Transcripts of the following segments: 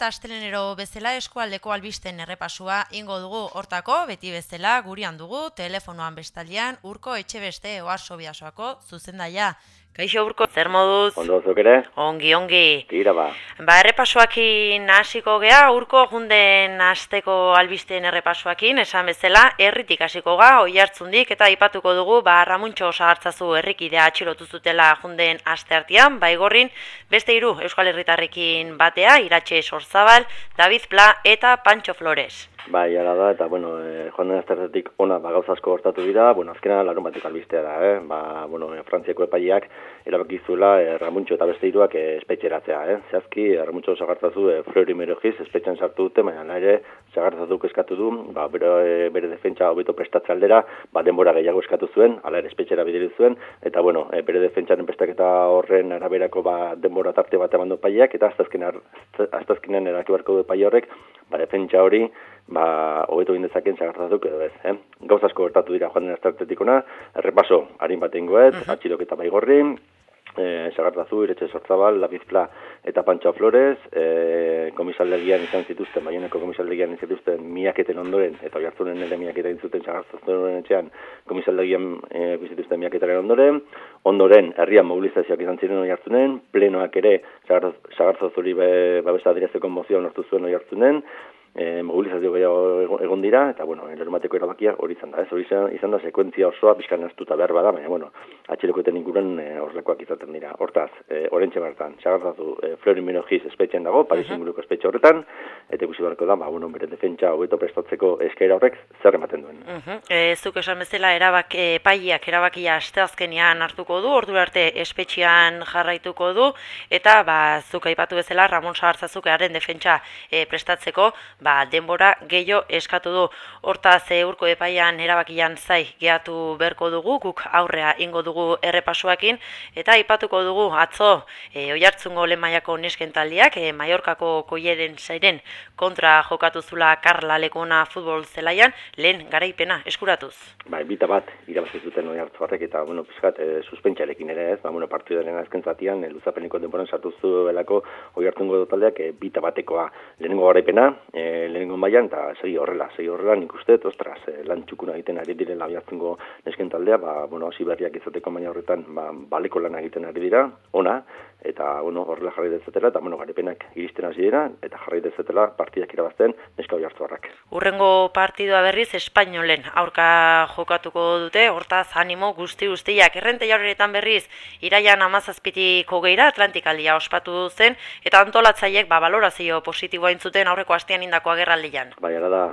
eta astelenero bezala eskualdeko albisten errepasua ingo dugu hortako, beti bezala gurean dugu, telefonoan bestaldean Urko Etxebeste Oarso Bidasoako zuzendaia. Kaixo Urko, zer moduz? Ondo zuk ere? Ongi. Tira ba. Errepasoakin hasiko gea, Urko junden asteko albisten errepasoakin, esan bezala, herritik hasiko ga, Oiartzundik eta aipatuko dugu, Ramuntxo Sagartzazu herrikidea atxilotu zutela junden asteartean, Baigorrin, beste 3 Euskal Herritarrekin batea, Iratxe Sorzabal, David Pla eta Pancho Flores. Bai, ala da, eta, joan den asteartetik ona gauza asko gertatu dira, azkena larun batek albistea da, Frantziako epaileak erabaki zuela Ramuntxo eta beste 3 espetxeratzea, Zehazki, Ramuntxo Sagartzazu Flori Merojiz espetxan sartu dute, baina ere Sagartzazuk eskatu du, bere defentsa hobeto prestatze aldera, denbora gehiago eskatu zuen, hala ere espetxera bideri zuen, eta, bere defentsaren prestaketa horren araberako denbora tarte bat eman du epaileak, eta aztazkenean eraki beharko du epaile horrek, defentsa hori, hobeto egin dezaken Sagartzazuk edo ez. Gauza asko gertatu dira joan den asteartetik ona, errepaso harin bat egingoet, atxiloketa Baigorrin, Sagartzazu, Iratxe Sorzabal, David Pla eta Pancho Flores, komisaldegian izan zituzten, Baionako komisaldegian izan zituzten miaketen ondoren, eta Oiartzunen ere miaketa egin zuten Sagartzazuren etxean komisaldegian bizituzten miaketaren ondoren herrian mobilizazioak izan ziren Oiartzunen, plenoak ere Sagarzazuri babesa adierazteko mozioa onartu zuen Oiartzunen, mobilizazio gehiago egon dira, eta, larunbateko erabakia hori izan da, hori izan da sekuentzia osoa pixkan astuta behar bada, baina, atxilokoeten inguruan horrelakoak izaten dira. Hortaz, orentxe bertan, Sagartzazu Flori Merojiz espetxean dago, Paris inguruko espetxe horretan, eta ikusi beharko da, bere defentsa hobeto prestatzeko eskaera horrek zer ematen duen. Zuk esan bezala epaileak erabakia asteazkenean hartuko du, ordura arte espetxean jarraituko du, eta zuk aipatu bezala Ramon Sagartzazuk haren defentsa prestatzeko, denbora gehiago eskatu du. Hortaz, Urko epaian erabakian zai gehatu berko dugu, guk aurrea ingo dugu errepasoakin, eta aipatuko dugu atzo Oiartzungo lehen mailako nesken taldeak, Mallorcako Koieren zairen kontra jokatu zula Karla Lekona futbol zelaian, lehen garaipena eskuratuz. Bita bat irabazi zuten Oiartzuarrek, eta, pizkat, suspentsarekin ere ez, partidaren azken zatian, luzapeneko denboran sartu zuelako Oiartzungo taldeak bita batekoa lehenengo garaipena, lehenengo mailan, eta segi horrela nik uste, lan txukuna egiten ari direla Oiartzungo nesken taldea, hasi berriak izateko maila horretan, baleko lan egiten ari dira, ona, eta, horrela jarri dezatela, eta, garaipenak iristen hasi dira, eta jarri dezatela partidak irabazten neska Oiartzuarrak. Urrengo partidua berriz Espainolen aurka jokatuko dute, hortaz animo guztiak. Errente horretan berriz, iraian 17-ko geira Atlantikaldia ospatu zen, eta antolatzaiek balorazio positiboa intzuten aurreko astean indako agerraldian. Hala da,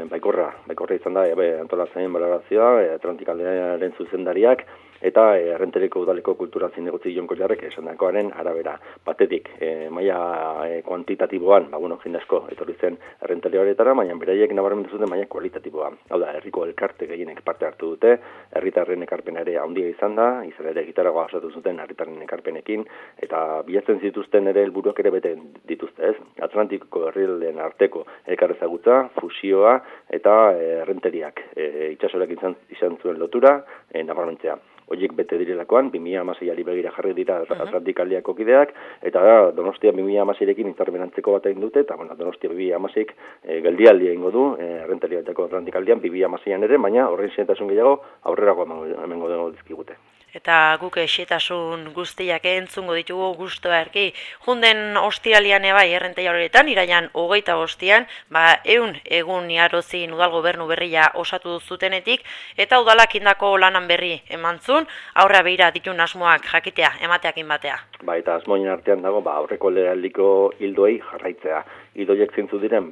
baikorra izan da, antolatzaien balorazioa, Atlantikaldiaren zuzendariak, eta Errentereko udaleko kultura zinegotzi Jonko Jarrek esandakoaren arabera. Batetik, maila kuantitatiboan, jende asko etorri zen Errenteri horretara, baina beraiek nabarmendu zuten maila kualitatiboa. Hau da, herriko elkarte gehienek parte hartu dute, herritarren ekarpena ere handia izan da, izan ere gitaragoa osatu zuten herritarren ekarpenekin, eta bilatzen zituzten ere helburuak ere bete dituzte, ez? Atlantiko herrialdeen arteko elkarrezagutza, fusioa eta Errenteriak itsasorak izan zuen lotura, nabarmentzea. Horiek bete direlakoan, 2016ari begira jarri dira Atlantikaldiako kideak, eta Donostia 2016rekin interbenantzeko bat egin dute, eta Donostia 2016 geldialdia egingo du, Errentariatako Atlantikaldian 2016an ere, baina horren xehetasun gehiago aurrerago emango dizkigute. Eta guk xehetasun guztiak entzungo ditugu gustoa erki. Junden ostiralian Errenteia horretan, iraian 25an, 100 egun iarozin udal gobernu berria osatu zutenetik, eta udalak indako lanan berri emantzun, aurra behira ditun asmoak jakitea, emateakin batea. Eta asmoien artean dago, aurreko legealdiko hildoei jarraitzea. Hildoiek zintzu diren,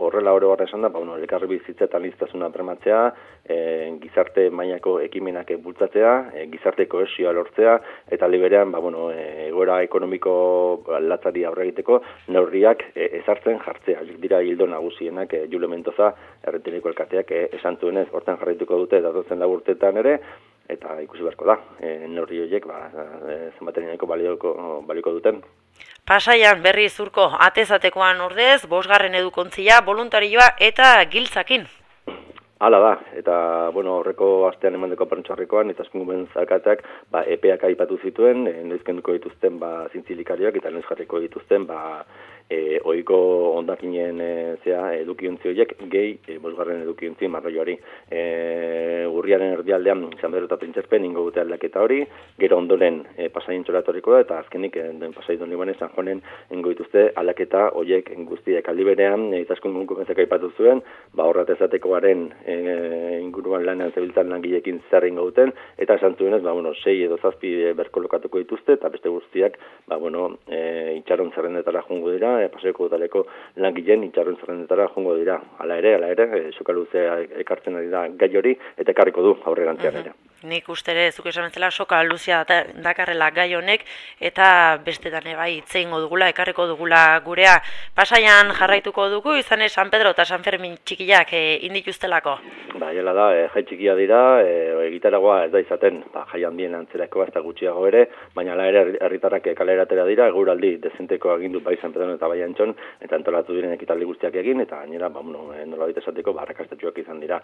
horrela oro horra esan da, elkarri bizitzetan liztasuna bermatzea, gizarte mailako ekimenak bultzatzea, gizarte kohesioa lortzea, eta liberean, egoera ekonomiko latzari aurre egiteko, neurriak ezartzen jartzea. Dira hildo nagusienak Julio Mendoza, Errenteriko elkarteak esan zuenez, hortan jarraituko dute, datozen 4 urteetan ere, eta ikusi beharko da, neurri horiek zenbatereneko balioko duten. Pasaian berriz Urko, atezatekoan ordez, 5. edukontzia, voluntarioa eta giltzakin. Hala da, eta horreko astean emandeko perntxarrekoan, eta eskungumen zarkateak epeak aipatu zituen, noiz kenduko dituzten zintzilikariak, eta noiz jarriko dituzten ohiko hondakinen edukiontzi horiek gehi bosgarren edukiontzi marroiari. Urriaren erdialdean San Pedro eta Printzerpen ingo dute aldaketa hori, gero ondoren Pasaien txoratoriko da, eta azkenik Pasai Don Libane San Joanen ingo dituzte aldaketa horiek guztiek aldi berean, itaskun konkurrentzak aipatu zuen, horrat ezatekoaren inguruan lanean zebiltzan langileekin zer ingo duten, eta esan zuenez, 6 edo 7 berkolokatuko dituzte, eta beste guztiak, itxaron zerrendetara jongo dira, Pasaioko udaleko langileen itxaron zerrendetara jongo dira. Hala ere, soka luzea ekartzen ari da gai hori, eta ekarriko du aurrerantzean ere. Nik uste ere, zuk esan bezala, soka luzea dakarrela gai honek, eta bestetan bai itzeingo dugula, ekarriko dugula gurea. Pasaian jarraituko dugu, izan San Pedro eta San Fermin txikiak indituztelako. Jela da, jai txikia dira, egitaragoa ez da izaten, jai handien antzerakoa ez da gutxiago ere, baina ere herritarrak kaleratera dira, eguraldi dezenteko agindu bai San Pedro eta bai Antxon, eta antolatu diren ekitaldi guztiak egin, eta gainera, nolabait esateko, arrakastatsuak izan dira.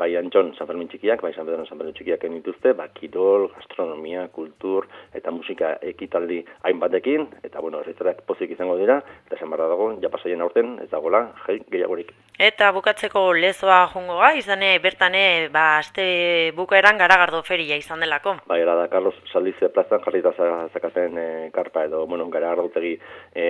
Bai Antxon, San Fermin txikiak, bai San Pedro txikiak dituzte, kirol, gastronomia, kultur eta musika ekitaldi hainbatekin, eta herritarrak pozik izango dira, eta esan barra dago, Pasaien aurten ez dagoela jai gehiagorik. Eta bukatzeko lezoa jongoa, izane bertane, aste bukaeran Garagardo feria izan delako. Era da, Carlos Saldize plazan jarrita zakaten karpa edo, Garagardotegi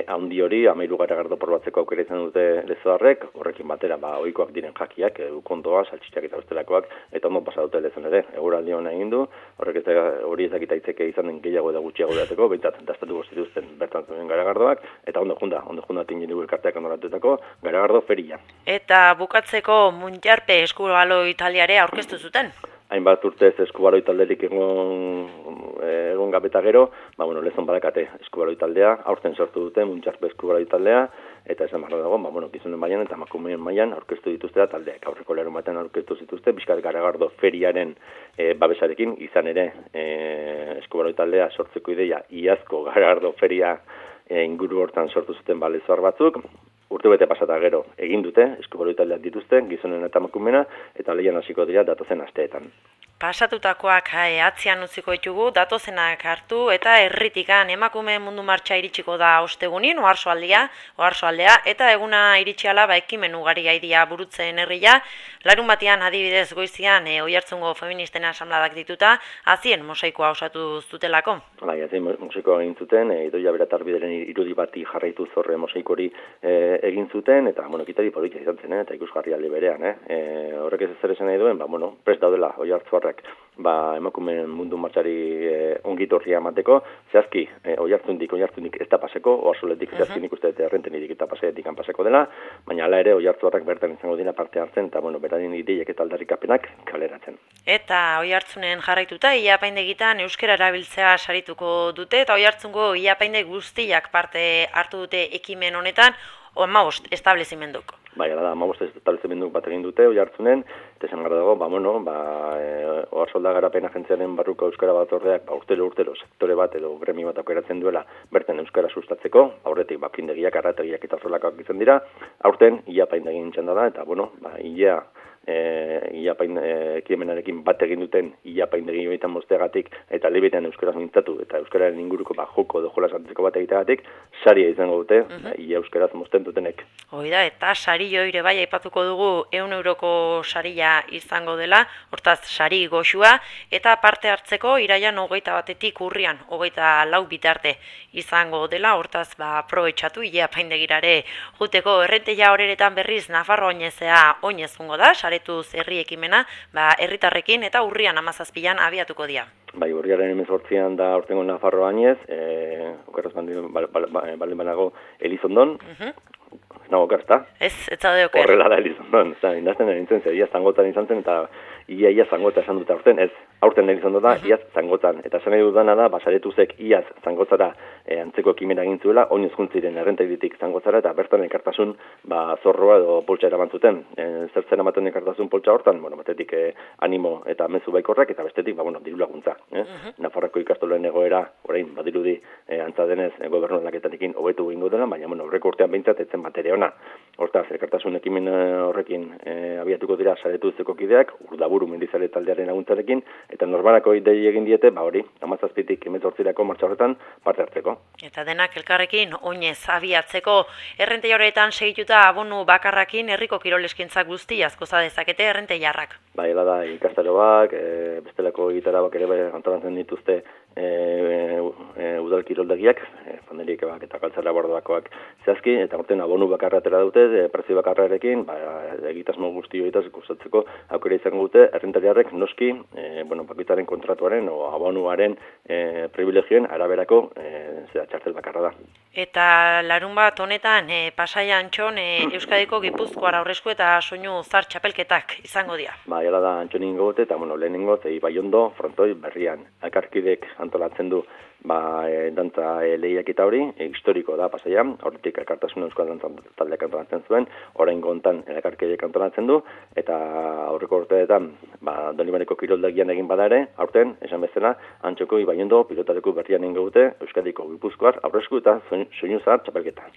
handi hori, 13 Garagardo porbatzeko aukera izan dute lezoarrek, horrekin batera, ohikoak diren jakiak, ukondoa, saltxitxak eta bestelakoak, eta ondo pasa dute lezon ere. Eguraldi hona egin du, hori ezakita itzeke izan den gehiago eta gutxiago dateko, behintzat dastatuko zituzten bertan zuen Garagardoak, eta ondo junda tingen dugu elkarteak ondoratutako Garagardo feria. Eta bukatzeko Muntjarpe eskubalo italiare aurkeztu zuten? Hainbat urtez eskubaloi talderik egon gabeta gero, lezon badakate eskubaloi taldea, aurten sortu dute Muntjarpe eskubaloi taldea, eta esan barra dago, gizonen mailan eta emakumeen mailan aurkeztu dituzte taldeak. Aurreko larun batean aurkeztu zituzte, Bizkaia Garagardo feriaren babesarekin, izan ere eskubaloi taldea sortzeko ideia, iazko Garagardo feria inguru hortan sortu zuten lezoar batzuk, urtebete pasata gero egin dute, eskubaloi taldeak dituzte, gizonen eta emakumena, eta lehian hasiko dira datozen asteetan. Pasatutakoak atzean utziko ditugu, datozenak hartu, eta herritikan emakume mundu martxa iritsiko da ostegunin, oharsoaldea, eta eguna iritsiala ekimen ugari gaidia burutzen herria, larun batean adibidez goizian Oiartzungo feministen asamladak dituta, azien mosaikoa osatu zutelako. Azien mosaikoa egin zuten, Idoia Beratarbideren irudi bati jarraitu zorre mosaikori egin zuten, eta ekitari politia izan zen, eta ikusgarri aldi berean. Horrek ez zer esan nahi duen, prest daudela Oiartzuarrak emakumeen mundu martxari ongitorria emateko, zehazki Oiartzundik ez da paseko, oharsoletik zehazki nik uste errentenidik eta paseetik paseko dela, baina hala ere Oiartzuarrak bertan izango dira parte hartzen, eta beraien ideiek eta aldarrikapenak kaleratzen. Eta Oiartzunen jarraituta, iapaindegitan euskara erabiltzea sarituko dute, eta Oiartzungo iapaindeg guztiak parte hartu dute ekimen honetan, 15 establezimenduk. Hala da, 15 establezimenduk bat egin dute Oiartzunen, eta esan gara dago, Oharsolda Garapen Agentziaren barruko euskara batzordeak urtero sektore bat edo gremi bat aukeratzen duela bertan euskara sustatzeko, aurretik apaindegiak, arrategiak eta horrelakoak izan dira, aurten iapaindegin txanda da, eta ekimenarekin bat egin duten iapaindegi horietan mosteagatik eta lebetean euskaraz mintzatu eta euskararen inguruko joko edo jolas antzeko bat egiteagatik saria izango dute ia euskaraz mosten dutenek. Hoida, eta sari joire bai aipatuko dugu 100 euroko saria izango dela, hortaz sari goxua, eta parte hartzeko iraian 21-etik urrian 24 bitarte izango dela, hortaz aprobetxatu iapaindegirare juteko. Errenteia horeretan berriz Nafarro oinezea oinezungo da, saretuz herri ekimena, herritarrekin eta urrian 17an abiatuko dira. Urriaren 18an da aurtengo Nafarro oinez, okerraz baldin banago Elizondon, nago okerazta? Ez zaude oker. Horrela da Elizondon, indazten nintzen zer, ia zangotan izan zen eta ia zangota esan dute aurten, ez, aurten Elizondo da, iaz zangotan. Eta esan nahi dudana da, saretuzek iaz zangotzara antzeko ekimena egin zuela, oinez juntziren errentairitik zangotzara, eta bertan elkartasun zorroa edo poltsa eramantzuten. Zertzen ematen elkartasun poltsa hortan, batetik animo eta mezu baikorrak, eta bestetik, diru laguntza. Nafarroko ikastolen egoera, orain, badirudi, antza denez, gobernu aldaketarekin hobetu egingo dela, baina horreko urtean behintzat etzen batere ona. lana. Hortaz, elkartasun ekimen horrekin abiatuko dira saretuzeko kideak, Urdaburu mendizale taldearen laguntzarekin, eta norbanako idei egin diete, hori, 17tik 18 martxa horretan parte hartzeko. Eta denak elkarrekin oinez abiatzeko errenteiaretan segituta abonu bakarrakin herriko kiroleskintzak guzti askoza dezakete errenteiarrak. Bai, da ikastaroak, bestelako gitarabak ere antolatzen dituzte udal kiroldegiak, fanderikak eta kaltzara bordoakoak zehazki, eta horten abonu bakarra atera dute, prezio bakarrarekin, egitasmo guzti horietaz gustatzeko aukera izango dute, errentariarrek noski, bakoitzaren kontratuaren o abonuaren privilegioen araberako txartel bakarra da. Eta larunbat honetan Pasai Antxon Euskadiko Gipuzkoar aurresku eta soinu zar txapelketak izango dira. Bai, hala da Antxonin gote eta lehenengo Ibaiondo frontoi berrian. Elkarkidek antolatzen du dantza lehiaketa hori, historiko da Pasaian, horretik elkartasun euskal dantza taldeak antolatzen zuen, oraingo hontan elkarkidek antolatzen du, eta aurreko urteetan Donibaneko kiroldegian egin bada ere, aurten, esan bezala, Antxoko Ibaiondo pilotaleku berrian egin dute Euskadiko Gipuzkoar aurresku eta soinu zahar txapelketa.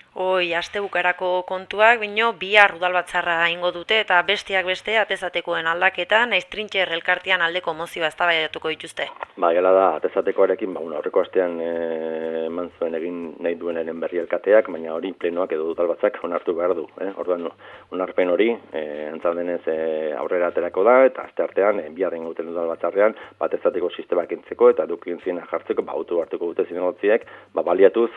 Aste bukarako kontuak, bino, bihar udalbatzarra ingo dute eta besteak beste atezatekoen aldaketa, naiz Trintxer elkartean aldeko mozioa eztabaidatuko dituzte. Bai, hala da, atezatekoarekin, aurreko astean eman zuen egin nahi duenaren berri elkateak, baina hori plenoak edo udalbatzak onartu behar du. Orduan, onarpen hori, antzaldenez aurrera aterako da, eta aste artean, biharren gauten udalbatzarrean, atezateko sistemak entzeko eta edukientzien jartzeko, autu hartuko dute zinegotziek, baliatuz,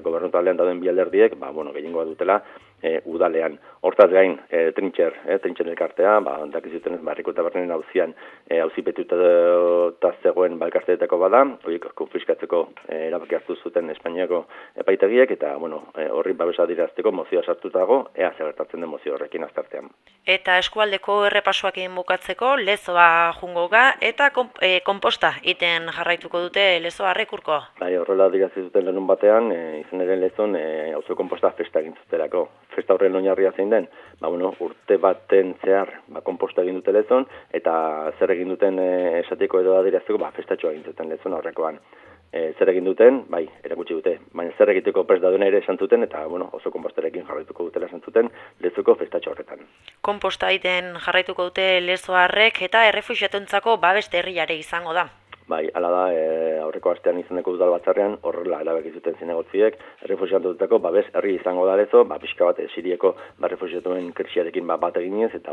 gobernutalean dauden bi alderdiek, gehiengoa dutela, udalean. Hortaz gain, Trintxer elkartea, dakizuten ez, Barriko eta Bernen auzian auzipetuta zegoen elkarteetako bada, horiek konfiskatzeko erabaki hartu zuten Espainiako epaitegiek, eta horri babesa dirazteko mozioa sartutago, ea zer gertatzen den mozio horrekin aztartean. Eta eskualdeko errepasoakin bukatzeko, Lezoa jungo ga, eta konposta iten jarraituko dute Lezoarrek urko. Bai, horrela dirazi zuten lenun batean, izan ere Lezon, auzo konposta festa egin zutelako. Festa horren oinarria zein den, urte baten zehar konposta egin dute Lezon, eta zer egin duten esateko edo adirazteko, festatxoa egin zuten Lezon aurrekoan. Zer egin duten, erakutsi dute, baina zer egiteko prest daudena ere esan zuten, eta oso konpostarekin jarraituko dutela esan zuten Lezoko festatxo horretan. Konposta egiten jarraituko dute Lezoarrek eta errefuxiatuntzako babeste herriare izango da. Bai, hala da, aurreko astean izaneko udalbatzarrean horrela erabaki zuten zinegotziek, errefuxiatutako babes herri izango da Lezo, pixka bat Siriako errefuxiatuen krisiarekin bat eginez, eta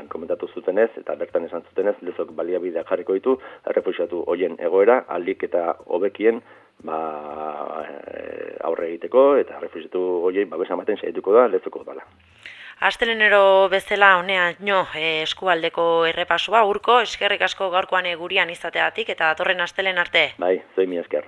komentatu zutenez, eta bertan esan zutenez, Lezok baliabideak jarriko ditu, errefuxiatu hoien egoera, aldik eta hobekien aurre egiteko, eta errefuxiatu hoiei babesa ematen saituko da Lezoko udala. Astelenero bezala honean eskualdeko errepasoa urko, eskerrik asko gaurkoan gurian izateagatik eta datorren astelen arte. Bai, zoi mi esker.